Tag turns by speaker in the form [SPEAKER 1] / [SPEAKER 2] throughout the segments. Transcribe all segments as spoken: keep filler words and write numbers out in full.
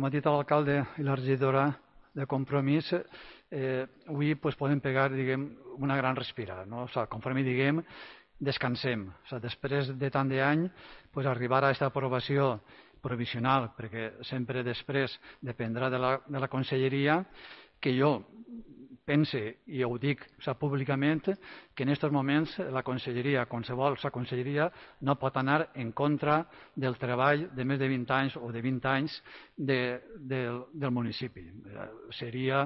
[SPEAKER 1] Com ha dit l'alcalde i la regidora de Compromís, eh, avui pues, podem pegar diguem, una gran respirada. No? O sigui, conforme diguem, descansem. O sigui, després de tant d'any, pues, arribar a aquesta aprovació provisional, perquè sempre després dependrà de la, de la conselleria, que jo pense, i ho dic o sigui, públicament, que en aquests moments la conselleria, qualsevol la conselleria, no pot anar en contra del treball de més de vint anys o de vint anys de, de, del municipi. Eh, seria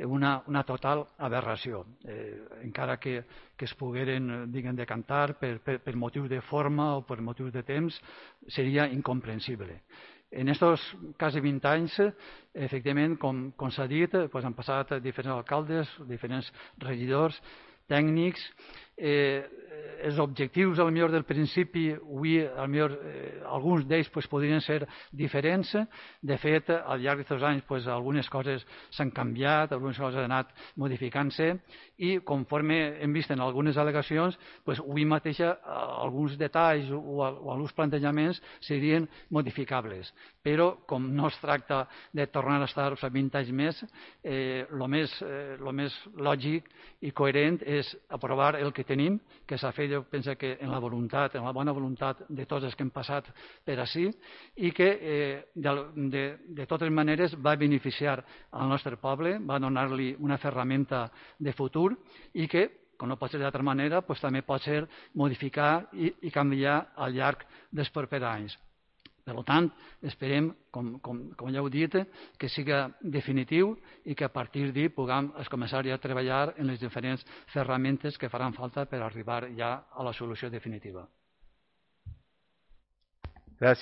[SPEAKER 1] una, una total aberració, eh, encara que, que es pogueren diguem, decantar per, per, per motius de forma o per motius de temps, seria incomprensible. En aquests quasi vint anys, efectivament, com, com s'ha dit, doncs han passat diferents alcaldes, diferents regidors, tècnics. Eh, els objectius, al millor del principi, avui, al millor, eh, alguns d'ells pues, podrien ser diferents. De fet, al llarg d'aquests anys, pues, algunes coses s'han canviat, algunes coses han anat modificant-se i, conforme hem vist en algunes al·legacions, pues, avui mateix alguns detalls o, o alguns plantejaments serien modificables. Però, com no es tracta de tornar a estar o sigui, vint anys més, eh, el més, eh, lo més lògic i coherent és aprovar el que tenim, que s'ha fet, jo penso que en la voluntat, en la bona voluntat de tots els que hem passat per ací, i que eh, de, de, de totes maneres va beneficiar al nostre poble, va donar-li una ferramenta de futur i que, com no pot ser d'altra manera, pues, també pot ser modificar i, i canviar al llarg dels propers anys. Per tant, esperem, com, com, com ja heu dit, que siga definitiu i que a partir d'ahir puguem començar ja a treballar en les diferents ferramentes que faran falta per arribar ja a la solució definitiva.